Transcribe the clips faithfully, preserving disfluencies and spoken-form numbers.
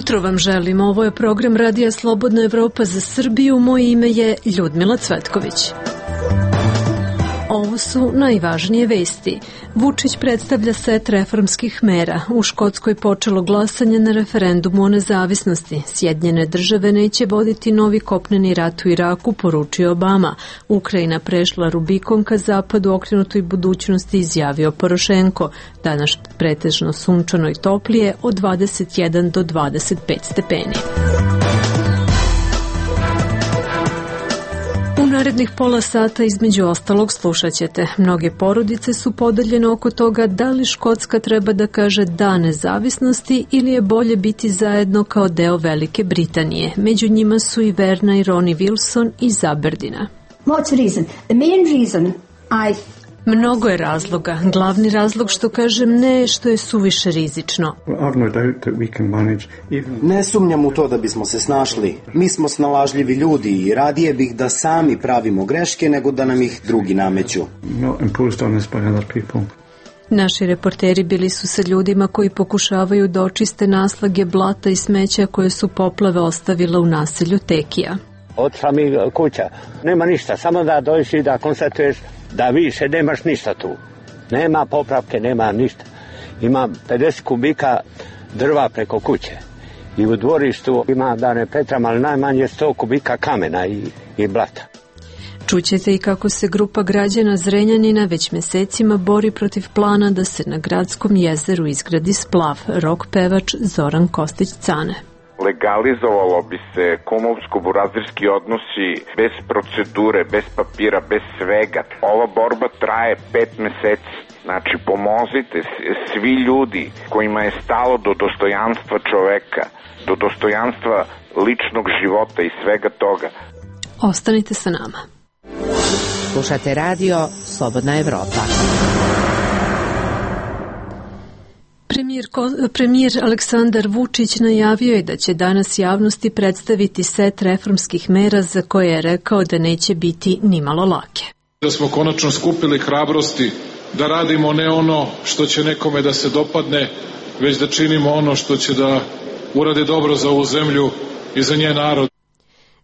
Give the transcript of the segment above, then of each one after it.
jutro vam želim. Ovo je program Radija Slobodna Evropa za Srbiju. Moje ime je Ljudmila Cvetković. Ovo su najvažnije vesti. Vučić predstavlja set reformskih mera. U Škotskoj počelo glasanje na referendumu o nezavisnosti. Sjedinjene države neće voditi novi kopneni rat u Iraku, poručio Obama. Ukrajina prešla Rubikon ka zapadu okrenutoj budućnosti, izjavio Porošenko. Danas pretežno sunčano i toplije od dvadeset jedan do dvadeset pet stepeni. U narednih pola sata između ostalog slušat ćete. Mnoge porodice su podeljene oko toga da li Škotska treba da kaže da nezavisnosti ili je bolje biti zajedno kao deo Velike Britanije. Među njima su i Verna i Ronnie Wilson iz Aberdina. What's the reason? The main reason I Mnogo je razloga. Glavni razlog što kažem ne je što je suviše rizično. Ne sumnjam u to da bismo se snašli. Mi smo snalažljivi ljudi i radije bih da sami pravimo greške nego da nam ih drugi nameću. Naši reporteri bili su sa ljudima koji pokušavaju da očiste naslage blata i smeća koje su poplave ostavile u naselju Tekija. Od samih kuća nema ništa, samo da dođeš i da konstatuješ da više nemaš ništa tu. Nema popravke, nema ništa. Ima pedeset kubika drva preko kuće. I u dvorištu ima, da ne pretram, ali najmanje sto kubika kamena i, i blata. Čućete i kako se grupa građana Zrenjanina već mesecima bori protiv plana da se na gradskom jezeru izgradi splav. Rok pevač Zoran Kostić-Cane. Legalizovalo bi se kumovsko-burazirski odnosi bez procedure, bez papira, bez svega. Ova borba traje pet meseci. Znači, pomozite svi ljudi kojima je stalo do dostojanstva čoveka, do dostojanstva ličnog života i svega toga. Ostanite sa nama. Slušate radio Slobodna Evropa. Premijer, premijer Aleksandar Vučić najavio je da će danas javnosti predstaviti set reformskih mera za koje je rekao da neće biti nimalo lake. Da smo konačno skupili hrabrosti da radimo ne ono što će nekome da se dopadne, već da činimo ono što će da uradi dobro za ovu zemlju i za njen narod.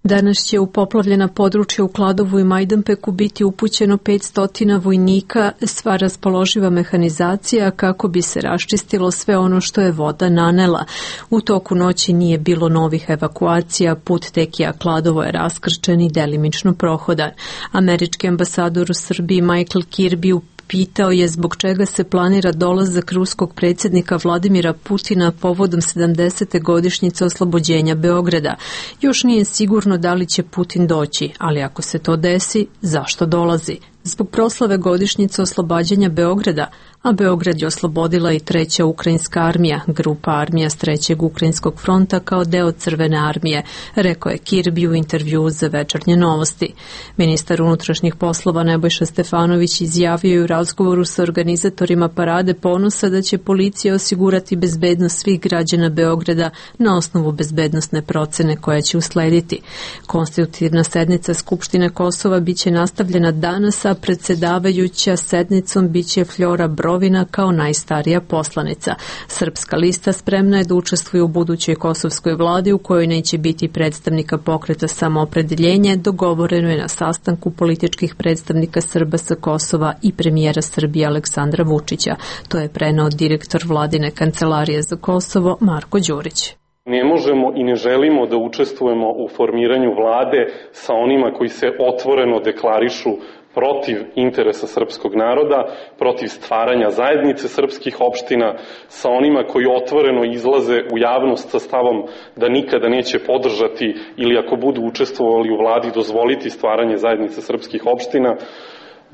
Danas će u poplavljena područja u Kladovu i Majdanpeku biti upućeno petsto vojnika, sva raspoloživa mehanizacija kako bi se raščistilo sve ono što je voda nanela. U toku noći nije bilo novih evakuacija, put Tekija Kladovo je raskrčen i delimično prohodan. Američki ambasador u Srbiji Michael Kirby pitao je zbog čega se planira dolazak ruskog predsjednika Vladimira Putina povodom sedamdesete godišnjice oslobođenja Beograda. Još nije sigurno da li će Putin doći, ali ako se to desi, zašto dolazi? Zbog proslave godišnjice oslobađanja Beograda, a Beograd je oslobodila i treća ukrajinska armija, grupa armija s trećeg ukrajinskog fronta kao deo Crvene armije, rekao je Kirby u intervjuu za Večernje novosti. Ministar unutrašnjih poslova Nebojša Stefanović izjavio je u razgovoru sa organizatorima Parade ponosa da će policija osigurati bezbednost svih građana Beograda na osnovu bezbednosne procene koja će uslediti. Konstitutivna sednica Skupštine Kosova biće nastavljena danas, a predsjedavajuća sednicom biće Flora Brovina kao najstarija poslanica. Srpska lista spremna je da učestvuje u budućoj kosovskoj vladi u kojoj neće biti predstavnika pokreta Samoopredeljenje, dogovoreno je na sastanku političkih predstavnika Srba sa Kosova i premijera Srbije Aleksandra Vučića. To je preneo direktor vladine kancelarije za Kosovo Marko Đurić. Ne možemo i ne želimo da učestvujemo u formiranju vlade sa onima koji se otvoreno deklarišu protiv interesa srpskog naroda, protiv stvaranja zajednice srpskih opština, sa onima koji otvoreno izlaze u javnost sa stavom da nikada neće podržati ili ako budu učestvovali u vladi dozvoliti stvaranje zajednice srpskih opština.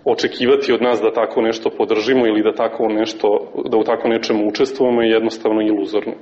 Očekivati od nas da tako nešto podržimo ili da tako nešto, da u tako nečemu učestvujemo je jednostavno iluzorno.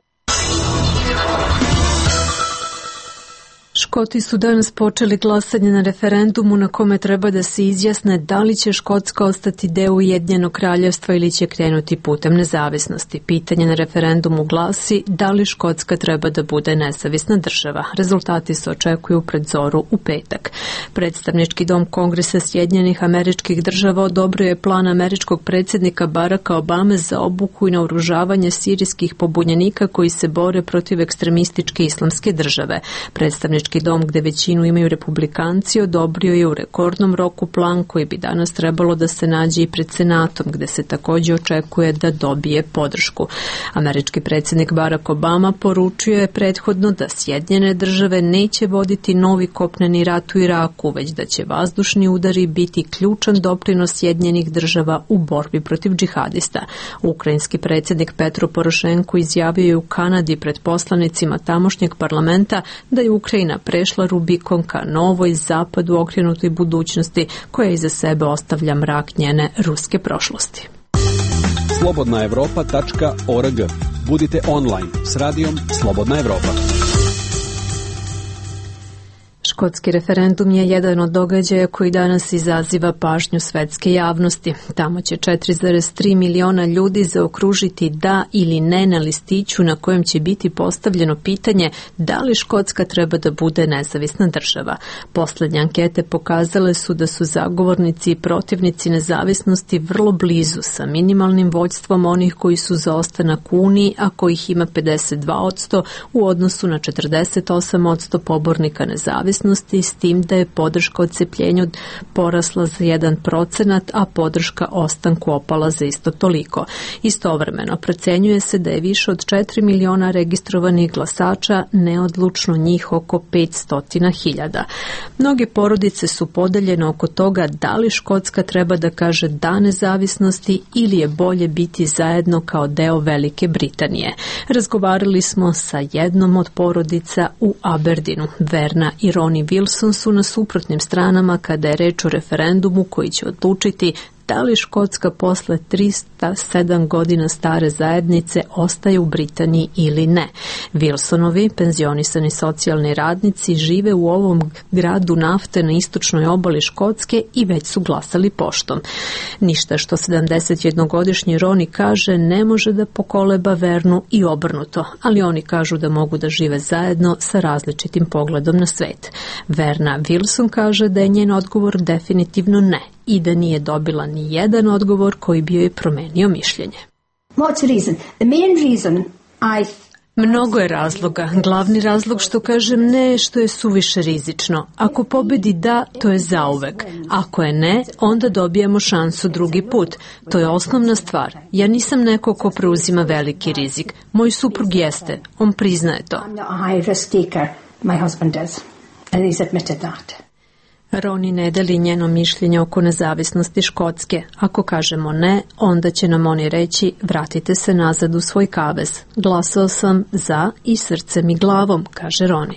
Škoti su danas počeli glasanje na referendumu na kome treba da se izjasne da li će Škotska ostati deo Ujedinjenog kraljevstva ili će krenuti putem nezavisnosti. Pitanje na referendumu glasi da li Škotska treba da bude nezavisna država. Rezultati se očekuju pred zoru u petak. Predstavnički dom Kongresa Sjedinjenih Američkih Država odobrio je plan američkog predsjednika Baracka Obame za obuku i naoružavanje sirijskih pobunjenika koji se bore protiv ekstremističke islamske države. Predstavnički dom, gde većinu imaju republikanci, odobrio je u rekordnom roku plan koji bi danas trebalo da se nađe i pred Senatom, gde se također očekuje da dobije podršku. Američki predsjednik Barack Obama poručio je prethodno da Sjedinjene države neće voditi novi kopneni rat u Iraku, već da će vazdušni udari biti ključan doprinos Sjedinjenih država u borbi protiv džihadista. Ukrajinski predsjednik Petro Porošenko izjavio je u Kanadi pred poslanicima tamošnjeg parlamenta da je Ukrajina prešla Rubikon ka novoj zapadu okrenutoj budućnosti koja iza sebe ostavlja mrak njene ruske prošlosti. slobodna evropa tačka org. Budite online s radijom Slobodna Evropa. Škotski referendum je jedan od događaja koji danas izaziva pažnju svetske javnosti. Tamo će četiri zarez tri miliona ljudi zaokružiti da ili ne na listiću na kojem će biti postavljeno pitanje da li Škotska treba da bude nezavisna država. Poslednje ankete pokazale su da su zagovornici i protivnici nezavisnosti vrlo blizu, sa minimalnim vođstvom onih koji su za ostanak u Uniji, a kojih ima pedeset dva posto u odnosu na četrdeset osam posto pobornika nezavisnosti, s tim da je podrška odcepljenju porasla za jedan procenat, a podrška ostanku opala za isto toliko. Istovremeno, procenjuje se da je više od četiri miliona registrovanih glasača, neodlučno njih oko petsto hiljada. Mnoge porodice su podeljene oko toga da li Škotska treba da kaže da nezavisnosti ili je bolje biti zajedno kao deo Velike Britanije. Razgovarali smo sa jednom od porodica u Aberdeenu. Verna i Ronnie Wilson su na suprotnim stranama kada je reč o referendumu koji će odlučiti da li Škotska posle tristo sedam godina stare zajednice ostaje u Britaniji ili ne. Wilsonovi, penzionisani socijalni radnici, žive u ovom gradu nafte na istočnoj obali Škotske i već su glasali poštom. Ništa što sedamdesetjednogodišnji Roni kaže ne može da pokoleba Vernu i obrnuto, ali oni kažu da mogu da žive zajedno sa različitim pogledom na svet. Verna Wilson kaže da je njen odgovor definitivno ne i da nije dobila ni jedan odgovor koji bi joj promenio mišljenje. What's the reason? The main reason I Mnogo je razloga. Glavni razlog što kažem ne je što je suviše rizično. Ako pobedi da, to je zauvek. Ako je ne, onda dobijemo šansu drugi put. To je osnovna stvar. Ja nisam neko ko preuzima veliki rizik. Moj suprug jeste. On priznaje to. I'm not a high risk taker. My husband does. And he's admitted that. Roni ne deli njeno mišljenje oko nezavisnosti Škotske. Ako kažemo ne, onda će nam oni reći vratite se nazad u svoj kavez. Glasao sam za i srcem i glavom, kaže Roni.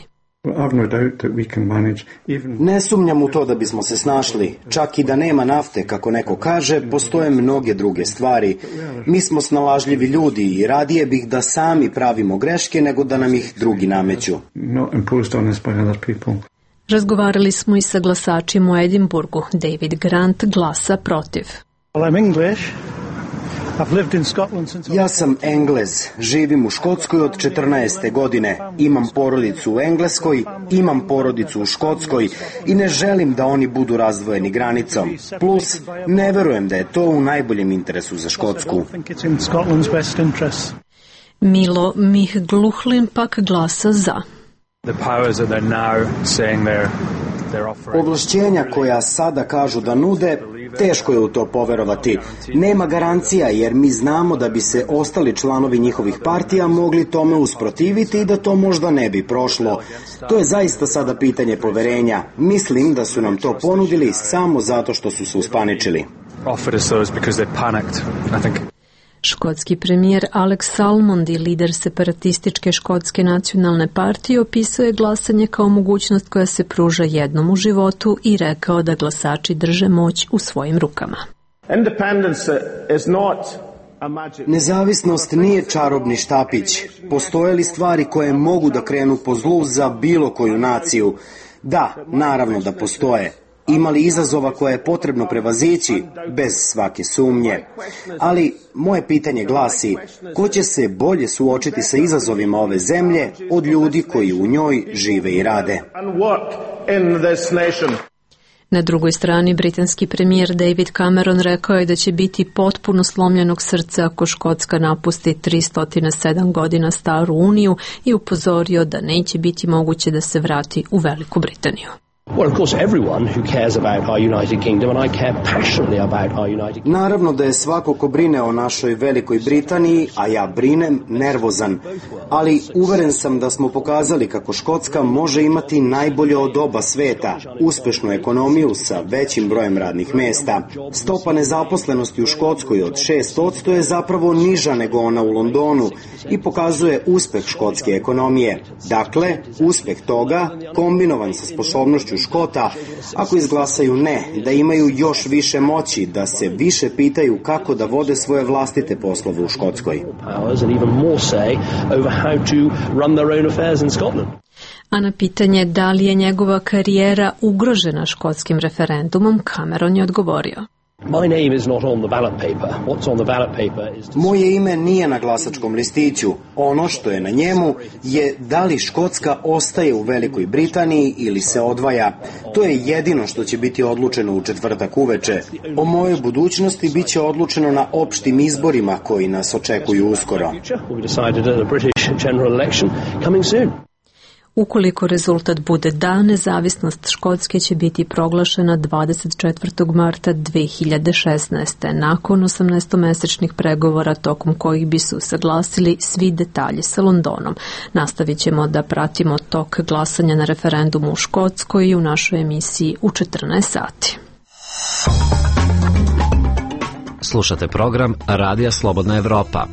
Ne sumnjam u to da bismo se snašli. Čak i da nema nafte, kako neko kaže, postoje mnoge druge stvari. Mi smo snalažljivi ljudi i radije bih da sami pravimo greške nego da nam ih drugi nameću. Razgovarali smo i sa glasačima u Edinburgu. David Grant glasa protiv. Ja sam Englez, živim u Škotskoj od četrnaeste godine, imam porodicu u Engleskoj, imam porodicu u Škotskoj i ne želim da oni budu razdvojeni granicom. Plus, ne verujem da je to u najboljem interesu za Škotsku. Milo Mihgluhlin pak glasa za. Ovlašćenja koja sada kažu da nude, teško je u to poverovati. Nema garancija jer mi znamo da bi se ostali članovi njihovih partija mogli tome usprotiviti i da to možda ne bi prošlo. To je zaista sada pitanje poverenja. Mislim da su nam to ponudili samo zato što su se uspaničili. Škotski premijer Alex Salmond i lider separatističke škotske nacionalne partije opisao je glasanje kao mogućnost koja se pruža jednom u životu i rekao da glasači drže moć u svojim rukama. Independence is not Nezavisnost nije čarobni štapić. Postoje li stvari koje mogu da krenu po zlu za bilo koju naciju? Da, naravno da postoje. Ima li izazova koje je potrebno prevazići? Bez svake sumnje. Ali moje pitanje glasi, ko će se bolje suočiti sa izazovima ove zemlje od ljudi koji u njoj žive i rade? Na drugoj strani, britanski premijer David Cameron rekao je da će biti potpuno slomljenog srca ako Škotska napusti tristo sedam godina staru uniju i upozorio da neće biti moguće da se vrati u Veliku Britaniju. Naravno da je svako ko brine o našoj Velikoj Britaniji, a ja brinem, nervozan, ali uveren sam da smo pokazali kako Škotska može imati najbolje od oba sveta, uspešnu ekonomiju sa većim brojem radnih mesta. Stopa nezaposlenosti u Škotskoj od šest posto je zapravo niža nego ona u Londonu i pokazuje uspeh škotske ekonomije. Dakle, uspeh toga, kombinovan sa sposobnošću Škota, ako izglasaju ne, da imaju još više moći, da se više pitaju kako da vode svoje vlastite poslove u Škotskoj. A na pitanje da li je njegova karijera ugrožena škotskim referendumom, Cameron je odgovorio. Moje ime nije na glasačkom listiću. Ono što je na njemu je da li Škotska ostaje u Velikoj Britaniji ili se odvaja. To je jedino što će biti odlučeno u četvrtak uveče. O mojoj budućnosti bit će odlučeno na opštim izborima koji nas očekuju uskoro. Ukoliko rezultat bude da, nezavisnost Škotske će biti proglašena dvadeset četvrtog marta dve hiljade šesnaeste. nakon osamnaestomesečnih pregovora tokom kojih bi se usaglasili svi detalji sa Londonom. Nastavit ćemo da pratimo tok glasanja na referendumu u Škotskoj i u našoj emisiji u četrnaest sati. Slušate program Radija Slobodna Evropa.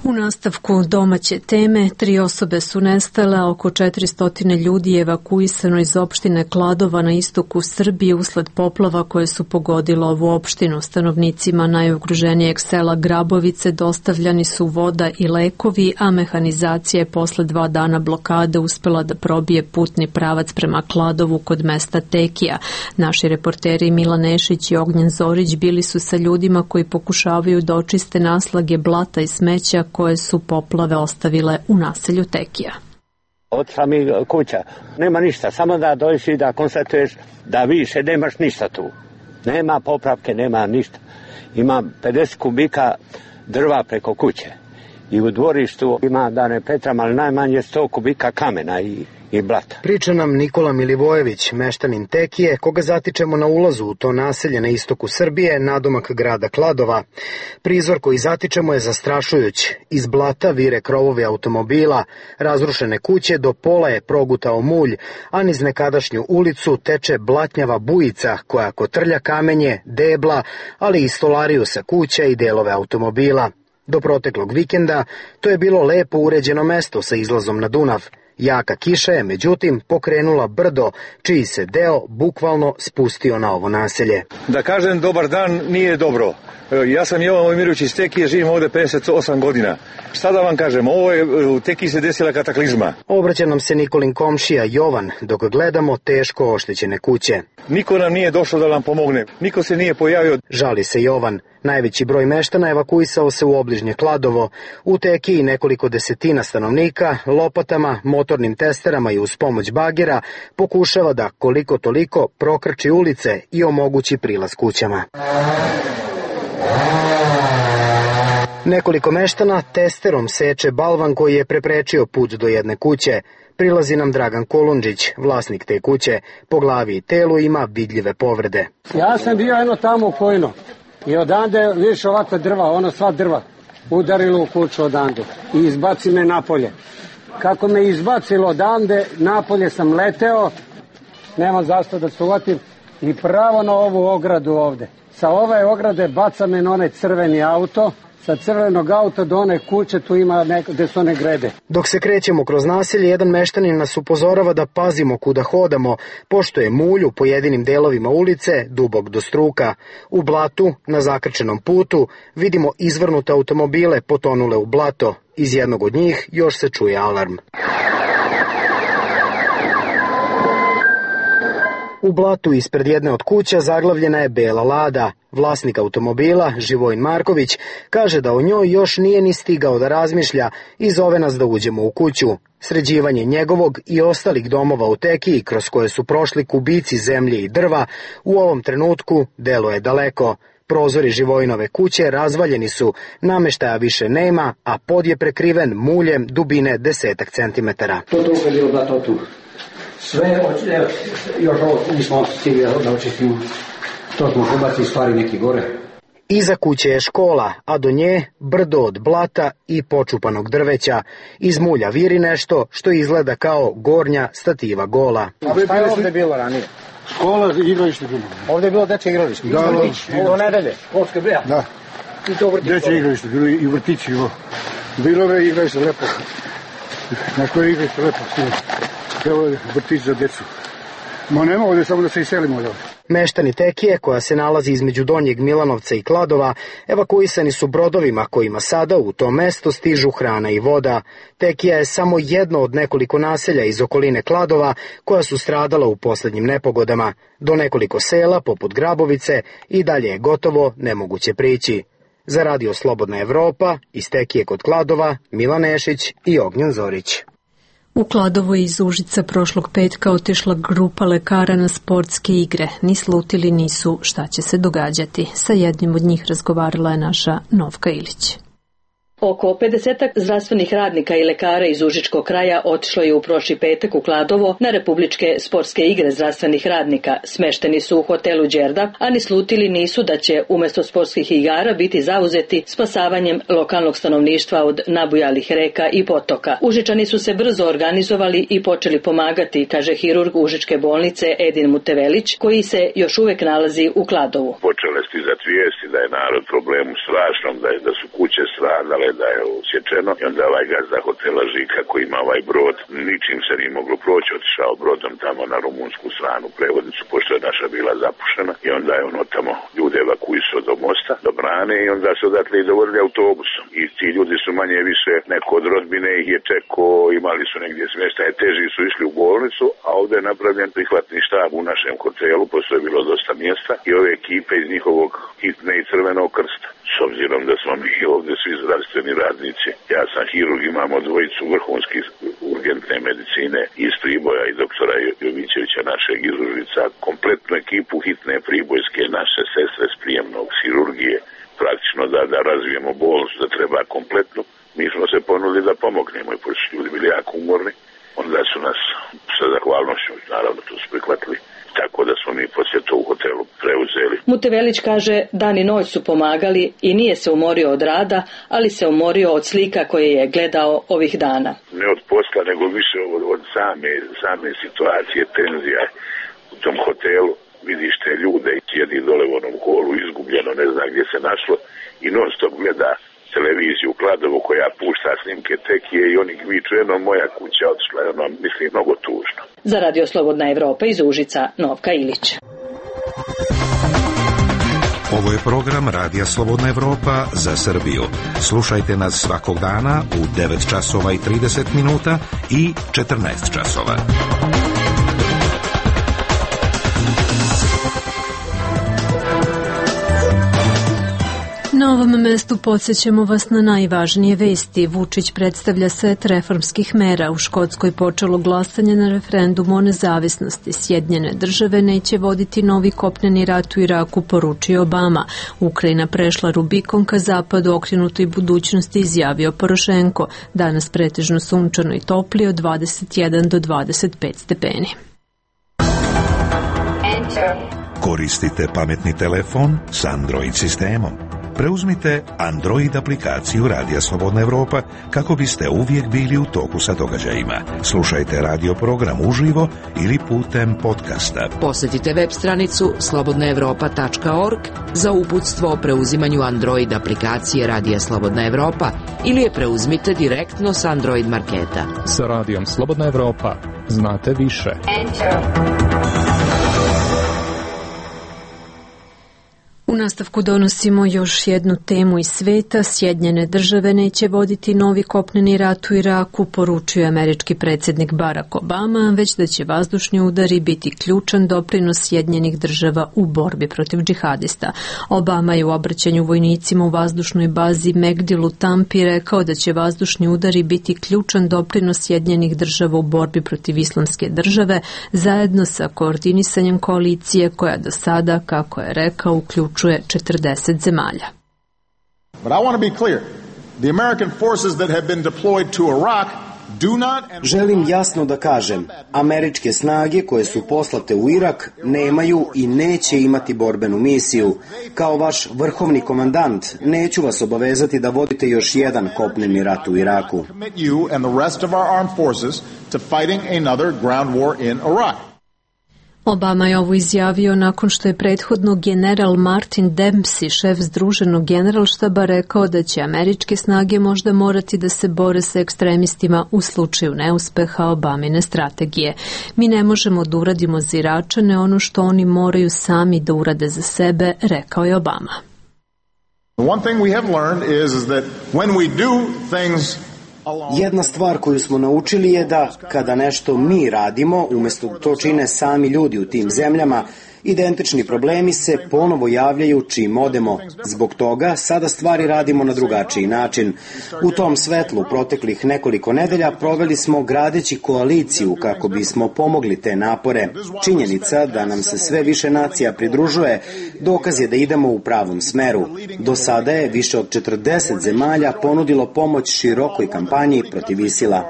U nastavku domaće teme, tri osobe su nestale, a oko četiristo ljudi je evakuisano iz opštine Kladova na istoku Srbije usled poplava koje su pogodile ovu opštinu. Stanovnicima najugroženijeg sela Grabovice dostavljani su voda i lekovi, a mehanizacija je posle dva dana blokade uspela da probije putni pravac prema Kladovu kod mesta Tekija. Naši reporteri Milan Nešić i Ognjen Zorić bili su sa ljudima koji pokušavaju da očiste naslage blata i smeća koje su poplave ostavile u naselju Tekija. Otišla mi kuća, nema ništa, samo da dođeš i da konstatuješ da više nemaš ništa tu. Nema popravke, nema ništa. Ima pedeset kubika drva preko kuće i u dvorištu ima, da ne petram, ali najmanje sto kubika kamena i i blata. Priča nam Nikola Milivojević, meštanin Tekije, koga zatičemo na ulazu u to naselje na istoku Srbije, nadomak grada Kladova. Prizor koji zatičemo je zastrašujuć. Iz blata vire krovovi automobila, razrušene kuće, do pola je progutao mulj, a niz nekadašnju ulicu teče blatnjava bujica koja kotrlja kamenje, debla, ali i stolariju sa kuća i delove automobila. Do proteklog vikenda to je bilo lepo uređeno mesto sa izlazom na Dunav. Jaka kiša je, međutim, pokrenula brdo, čiji se deo bukvalno spustio na ovo naselje. Da kažem dobar dan nije dobro. Ja sam Jovan Vojmirović iz Tekije, živim ovde pedeset osam godina. Šta da vam kažem, ovo je, u Tekiji se desila kataklizma. Obraća nam se Nikolin komšija Jovan, dok gledamo teško oštećene kuće. Niko nam nije došao da nam pomogne, niko se nije pojavio. Žali se Jovan. Najveći broj meštana evakuisao se u obližnje Kladovo. U Tekiji nekoliko desetina stanovnika lopatama, motornim testerama i uz pomoć bagera pokušava da koliko toliko prokrči ulice i omogući prilaz kućama. Nekoliko meštana testerom seče balvan koji je preprečio put do jedne kuće. Prilazi nam Dragan Kolundžić, vlasnik te kuće. Po glavi i telu ima vidljive povrede. Ja sam bio jedno tamo pojno i odande vidiš ovakva drva, ono sva drva, udarilo u kuću odande i izbaci me napolje. Kako me izbacilo odande, napolje sam leteo, nemam zašto da se uvatim i pravo na ovu ogradu ovde. Sa ove ograde baca me na onaj crveni auto, sa crvenog auta do one kuće, tu ima neko, gde su one grede. Dok se krećemo kroz naselje, jedan meštanin nas upozorava da pazimo kuda hodamo, pošto je mulj u pojedinim delovima ulice dubok do struka. U blatu, na zakrčenom putu, vidimo izvrnute automobile potonule u blato. Iz jednog od njih još se čuje alarm. U blatu ispred jedne od kuća zaglavljena je bela Lada. Vlasnik automobila, Živojin Marković, kaže da o njoj još nije ni stigao da razmišlja i zove nas da uđemo u kuću. Sređivanje njegovog i ostalih domova u Tekiji, kroz koje su prošli kubici zemlje i drva, u ovom trenutku deluje daleko. Prozori Živojinove kuće razvaljeni su, nameštaja više nema, a pod je prekriven muljem dubine desetak centimetara. To tu je bilo blato tu. Sve, evo, još ovo nismo stigli da očistimo. To smo pobacili stvari neki gore. Iza kuće je škola, a do nje brdo od blata i počupanog drveća. Iz mulja viri nešto što izgleda kao gornja stativa gola. A šta je ovde bilo ranije? Škola, igralište bilo. Ovde je bilo dečje igralište? Da, da. Ovo nedelje? Školske breja? Da. I to vrtić? Dečje igralište, bilo i vrtići. Bilo je igralište lepo. Na koje igralište lepo stilo. Evo je vrtić za decu. Ma nema ovde, samo da se iselimo ovde. Meštani Tekije, koja se nalazi između Donjeg Milanovca i Kladova, evakuisani su brodovima kojima sada u to mesto stižu hrana i voda. Tekija je samo jedno od nekoliko naselja iz okoline Kladova koja su stradala u poslednjim nepogodama. Do nekoliko sela, poput Grabovice, i dalje je gotovo nemoguće prići. Za Radio Slobodna Evropa, iz Tekije kod Kladova, Milan Nešić i Ognjen Zorić. U Kladovo je iz Užica prošlog petka otišla grupa lekara na sportske igre. Ni slutili nisu šta će se događati. Sa jednim od njih razgovarala je naša Novka Ilić. Oko pedesetak zdravstvenih radnika i lekara iz Užičkog kraja otišlo je u prošli petak u Kladovo na republičke sportske igre zdravstvenih radnika. Smešteni su u hotelu Đerdap, a ni slutili nisu da će umesto sportskih igara biti zauzeti spasavanjem lokalnog stanovništva od nabujalih reka i potoka. Užičani su se brzo organizovali i počeli pomagati, kaže hirurg Užičke bolnice Edin Mutevelić, koji se još uvek nalazi u Kladovu. Počele stizati vijesti da je narod problemu strašnom, da, je, da su kuće stradale, da je usječeno, i onda ovaj gazda hotela Žika koji ima ovaj brod, ničim se nije moglo proći, otišao brodom tamo na rumunsku stranu prevodnicu, pošto je naša bila zapušena, i onda je ono tamo ljude evakuisao do mosta, do brane, i onda su odatle i dovodili autobusom. I ti ljudi su manje više, neko od rodbine ih je čekao, imali su negdje smještaje, teži su išli u bolnicu, a ovdje je napravljen prihvatni štab u našem hotelu, pošto je bilo dosta mjesta, i ove ekipe iz njihovog hitne i Crvenog krsta. S obzirom da smo mi ovdje svi zdravstveni radnici, ja sam hirurg, imamo dvojicu vrhunskih urgentne medicine iz Priboja i doktora Jovićevića, našeg iz Užica, kompletnu ekipu hitne pribojske, naše sestre s prijemnog hirurgije, praktično da, da razvijemo bolnicu, da treba kompletnu. Mi smo se ponudili da pomognemo i pošto ljudi bili jako umorni, onda su nas sa zahvalnošću, naravno to su prihvatili. Tako da smo mi poslije to u hotelu preuzeli. Mutevelić kaže dan i noć su pomagali i nije se umorio od rada, ali se umorio od slika koje je gledao ovih dana. Ne od posla, nego više od, od same, same situacije, tenzija u tom hotelu. Vidiš te ljude i sjedi dole u onom holu izgubljeno, ne zna gdje se našlo, i non stop gleda televiziju u Kladovu koja pušta snimke Tekije i onih viču, jedno moja kuća otišla, ono, mislim, mnogo tužno. Za Radio Slobodna Evropa iz Užica, Novka Ilić. Ovo je program Radija Slobodna Evropa za Srbiju. Slušajte nas svakog dana u devet časova i trideset minuta i četrnaest časova. Na ovom mestu podsjećamo vas na najvažnije vesti. Vučić predstavlja set reformskih mera. U Škotskoj počelo glasanje na referendumu o nezavisnosti. Sjedinjene države neće voditi novi kopneni rat u Iraku, poručio Obama. Ukrajina prešla Rubikon ka zapadu, okrenutoj budućnosti, izjavio Porošenko. Danas pretežno sunčano i topli od dvadeset jedan do dvadeset pet stepeni. Koristite pametni telefon s Android sistemom. preuzmite Android aplikaciju Radija Slobodna Evropa kako biste uvijek bili u toku sa događajima. Slušajte radio program uživo ili putem podcasta. Posjetite web stranicu slobodna evropa tačka org za uputstvo o preuzimanju Android aplikacije Radija Slobodna Evropa ili je preuzmite direktno s Android marketa. Sa Radijom Slobodna Evropa znate više. U nastavku donosimo još jednu temu iz sveta. Sjedinjene države neće voditi novi kopneni rat u Iraku, poručio američki predsjednik Barack Obama, već da će vazdušni udari biti ključan doprinos Sjedinjenih država u borbi protiv džihadista. Obama je u obraćanju vojnicima u vazdušnoj bazi Megdil u Tampi rekao da će vazdušni udari biti ključan doprinos Sjedinjenih država u borbi protiv islamske države, zajedno sa koordinisanjem koalicije koja do sada, kako je rekao, uključuje četrdeset zemalja. But I want to be clear. The American forces that have been deployed to Iraq do not. Želim jasno da kažem, američke snage koje su poslate u Irak nemaju i neće imati borbenu misiju. Kao vaš vrhovni komandant, neću vas obavezati da vodite još jedan kopneni rat u Iraku. You and the rest of our armed forces to fighting another ground war in Iraq. Obama je ovo izjavio nakon što je prethodno general Martin Dempsey, šef Združenog generalštaba, rekao da će američke snage možda morati da se bore sa ekstremistima u slučaju neuspeha Obamine strategije. Mi ne možemo da uradimo za Iračane ono što oni moraju sami da urade za sebe, rekao je Obama. One thing we have learned is, is that when we do things Jedna stvar koju smo naučili je da kada nešto mi radimo, umjesto da to čine sami ljudi u tim zemljama, identični problemi se ponovo javljaju čim odemo. Zbog toga sada stvari radimo na drugačiji način. U tom svetlu proteklih nekoliko nedelja proveli smo gradeći koaliciju kako bismo pomogli te napore. Činjenica da nam se sve više nacija pridružuje dokaz je da idemo u pravom smeru. Do sada je više od četrdeset zemalja ponudilo pomoć širokoj kampanji protiv Isila.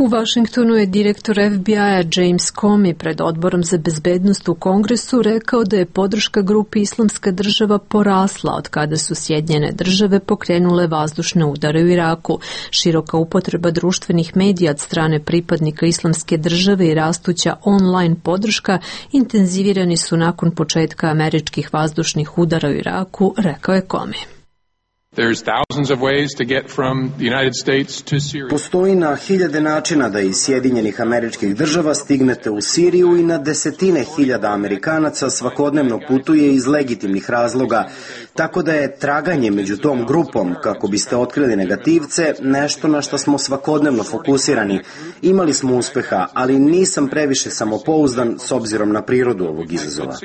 U Vašingtonu je direktor F B I-a James Comey pred odborom za bezbednost u Kongresu rekao da je podrška grupi Islamska država porasla od kada su Sjedinjene države pokrenule vazdušne udare u Iraku. Široka upotreba društvenih medija od strane pripadnika Islamske države i rastuća online podrška intenzivirani su nakon početka američkih vazdušnih udara u Iraku, rekao je Comey. Postoji na hiljade načina da iz Sjedinjenih Američkih Država stignete u Siriju i na desetine hiljada Amerikanaca svakodnevno putuje iz legitimnih razloga, tako da je traganje među tom grupom, kako biste otkrili negativce, nešto na što smo svakodnevno fokusirani. Imali smo uspeha, ali nisam previše samopouzdan s obzirom na prirodu ovog izazova.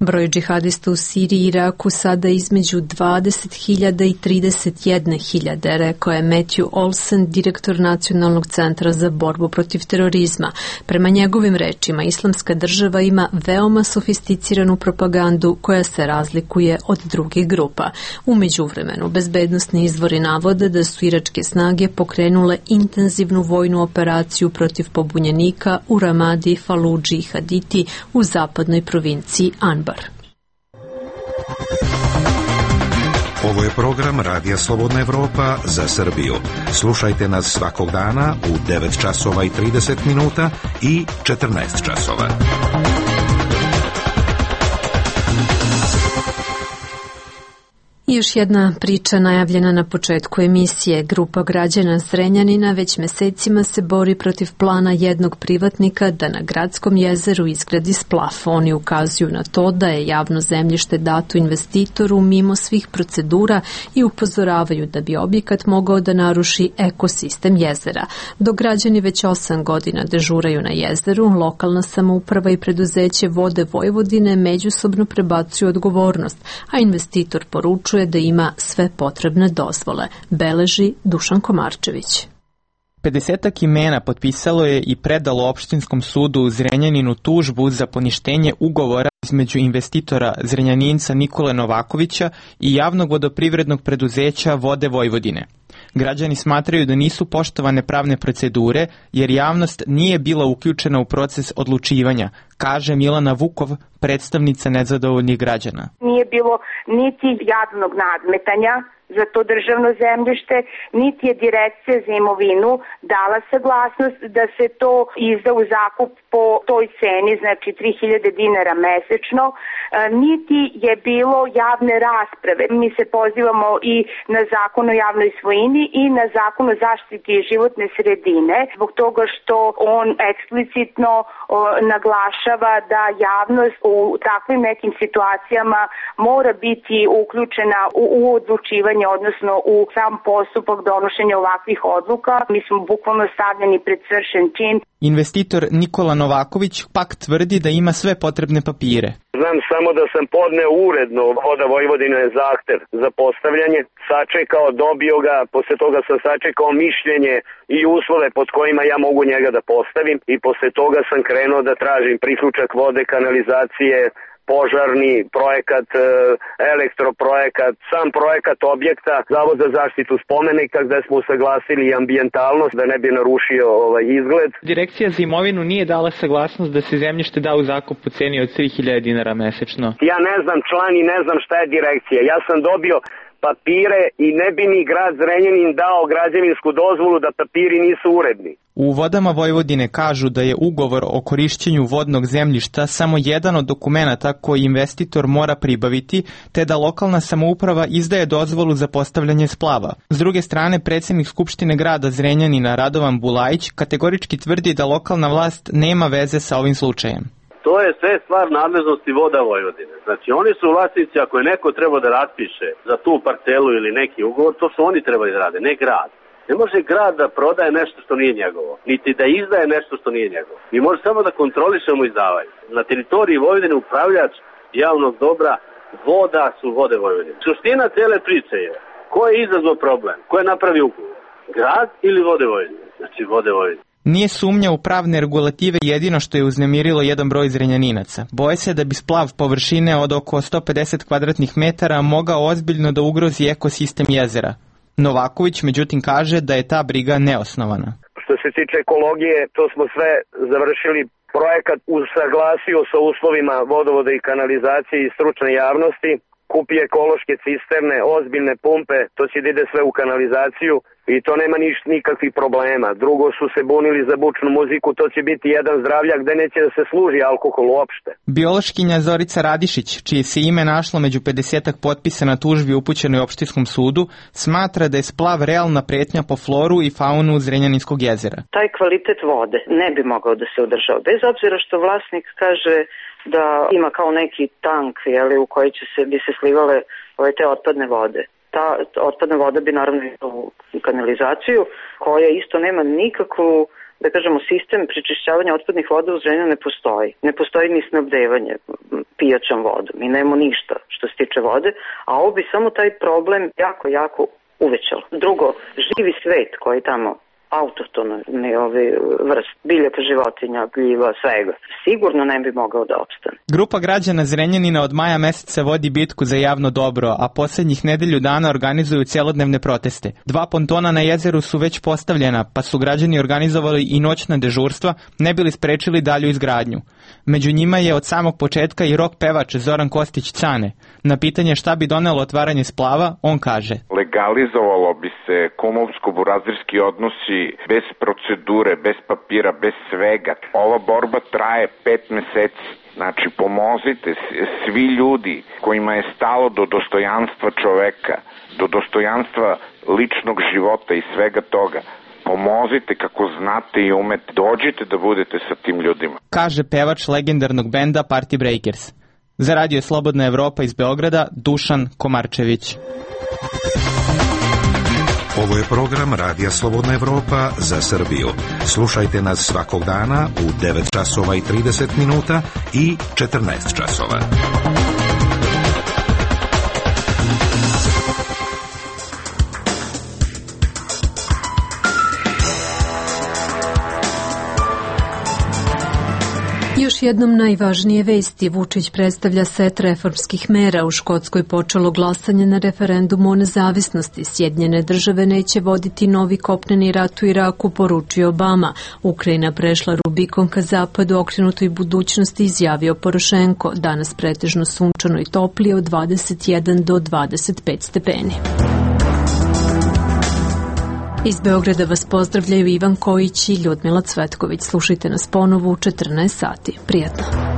Broj džihadista u Siriji i Iraku sada između dvadeset hiljada i trideset jedne hiljade, rekao je Matthew Olsen, direktor Nacionalnog centra za borbu protiv terorizma. Prema njegovim rečima, Islamska država ima veoma sofisticiranu propagandu koja se razlikuje od drugih grupa. U međuvremenu, bezbednosni izvori navode da su iračke snage pokrenule intenzivnu vojnu operaciju protiv pobunjenika u Ramadi, Faludži i Haditi u zapadnoj provinciji Anbar. Ovo je program Radija Slobodna Evropa za Srbiju. Slušajte nas svakog dana u devet časova i trideset minuta i četrnaest časova. Još jedna priča najavljena na početku emisije. Grupa građana Zrenjanina već mesecima se bori protiv plana jednog privatnika da na gradskom jezeru izgradi splav. Oni ukazuju na to da je javno zemljište dato investitoru mimo svih procedura i upozoravaju da bi objekat mogao da naruši ekosistem jezera. Dok građani već osam godina dežuraju na jezeru, lokalna samouprava i preduzeće Vode Vojvodine međusobno prebacuju odgovornost, a investitor poručuje da ima sve potrebne dozvole, beleži Dušan Komarčević. pedesetak imena potpisalo je i predalo opštinskom sudu u Zrenjaninu tužbu za poništenje ugovora između investitora Zrenjaninca Nikole Novakovića i javnog vodoprivrednog preduzeća Vode Vojvodine. Građani smatraju da nisu poštovane pravne procedure jer javnost nije bila uključena u proces odlučivanja, kaže Milana Vukov, predstavnica nezadovoljnih građana. Nije bilo niti javnog nadmetanja za to državno zemljište, niti je Direkcija za imovinu dala saglasnost da se to izda u zakup po toj ceni, znači tri hiljade dinara mesečno, niti je bilo javne rasprave. Mi se pozivamo i na zakon o javnoj svojini i na zakon o zaštiti životne sredine, zbog toga što on eksplicitno naglašava da javnost u takvim nekim situacijama mora biti uključena u, u odlučivanje, odnosno u sam postupak donošenja ovakvih odluka. Mi smo bukvalno stavljeni pred svršen čin. Investitor Nikola Novaković pak tvrdi da ima sve potrebne papire. Znam samo da sam podneo uredno Voda Vojvodine zahtev za postavljanje, sačekao, dobio ga, posle toga sam sačekao mišljenje i uslove pod kojima ja mogu njega da postavim i posle toga sam krenuo da tražim priključak vode, kanalizacije, požarni projekat, elektroprojekat, sam projekat objekta, Zavod za zaštitu spomenika gde smo usaglasili i ambijentalnost da ne bi narušio ovaj izgled. Direkcija za imovinu nije dala saglasnost da se zemljište da u zakup po ceni od tri hiljade dinara mesečno. Ja ne znam član i ne znam šta je direkcija. Ja sam dobio papire i ne bi mi grad Zrenjanin dao građevinsku dozvolu da papiri nisu uredni. U Vodama Vojvodine kažu da je ugovor o korišćenju vodnog zemljišta samo jedan od dokumenata koji investitor mora pribaviti, te da lokalna samouprava izdaje dozvolu za postavljanje splava. S druge strane, predsjednik Skupštine grada Zrenjanina Radovan Bulajić kategorički tvrdi da lokalna vlast nema veze sa ovim slučajem. To je sve stvar nadležnosti Voda Vojvodine. Znači, oni su vlasnici, ako je neko treba da raspiše za tu parcelu ili neki ugovor, to su oni trebali da rade, ne grad. Ne može grad da prodaje nešto što nije njegovo, niti da izdaje nešto što nije njegovo. Mi može samo da kontrolišemo izdavanje. Na teritoriji Vojvodine upravljač javnog dobra voda su Vode Vojvodine. Suština cele priče je ko je izazvao problem, ko je napravio ugovor, grad ili Vode Vojvodine, znači Vode Vojvodine. Nije sumnja u pravne regulative jedino što je uznemirilo jedan broj Zrenjaninaca. Boje se da bi splav površine od oko sto pedeset kvadratnih metara mogao ozbiljno da ugrozi ekosistem jezera. Novaković međutim kaže da je ta briga neosnovana. Što se tiče ekologije, to smo sve završili. Projekat usaglasio sa uslovima vodovoda i kanalizacije i stručne javnosti. Kupi ekološke cisterne, ozbiljne pumpe, to će da ide sve u kanalizaciju i to nema niš, nikakvih problema. Drugo su se bunili za bučnu muziku, to će biti jedan zdravljak gde neće da se služi alkohol uopšte. Biološkinja Zorica Radišić, čije se ime našlo među pedesetak potpisa na tužbi upućenoj opštinskom sudu, smatra da je splav realna pretnja po floru i faunu Zrenjaninskog jezera. Taj kvalitet vode ne bi mogao da se održava, bez obzira što vlasnik kaže da ima kao neki tank, jeli, u koji će se, bi se slivale ove te otpadne vode. Ta otpadna voda bi naravno išla u kanalizaciju, koja isto nema nikakvu, da kažemo, sistem prečišćavanja otpadnih voda u Zrenjaninu ne postoji. Ne postoji ni snabdevanje pijaćom vodom i nema ništa što se tiče vode, a ovo bi samo taj problem jako, jako uvećalo. Drugo, živi svet koji tamo autohtono vrst biljaka, životinja, gljiva, svega. Sigurno ne bi mogao da opstane. Grupa građana Zrenjanina od maja meseca vodi bitku za javno dobro, a poslednjih nedelju dana organizuju celodnevne proteste. Dva pontona na jezeru su već postavljena, pa su građani organizovali i noćna dežurstva, ne bili sprečili dalju izgradnju. Među njima je od samog početka i rock pevač Zoran Kostić Cane. Na pitanje šta bi donelo otvaranje splava, on kaže: legalizovalo bi se kumovsko-burazirski odnosi bez procedure, bez papira, bez svega. Ova borba traje pet meseci. Znači, pomozite svi ljudi kojima je stalo do dostojanstva čoveka, do dostojanstva ličnog života i svega toga. Pomozite kako znate i umete, dođite da budete sa tim ljudima. Kaže pevač legendarnog benda Party Breakers. Za Radio Slobodna Evropa iz Beograda, Dušan Komarčević. Ovo je program Radija Slobodna Evropa za Srbiju. Slušajte nas svakog dana u devet časova i trideset minuta i četrnaest časova. još jednom najvažnije vesti. Vučić predstavlja set reformskih mera. U Škotskoj počelo glasanje na referendumu o nezavisnosti. Sjedinjene države neće voditi novi kopneni rat u Iraku, poručio Obama. Ukrajina prešla Rubikon ka zapadu, okrenutoj budućnosti, izjavio Porošenko. Danas pretežno sunčano i toplije od dvadeset jedan do dvadeset pet stepeni. Iz Beograda vas pozdravljaju Ivan Kojić i Ljudmila Cvetković. Slušajte nas ponovo u četrnaest sati. Prijatno.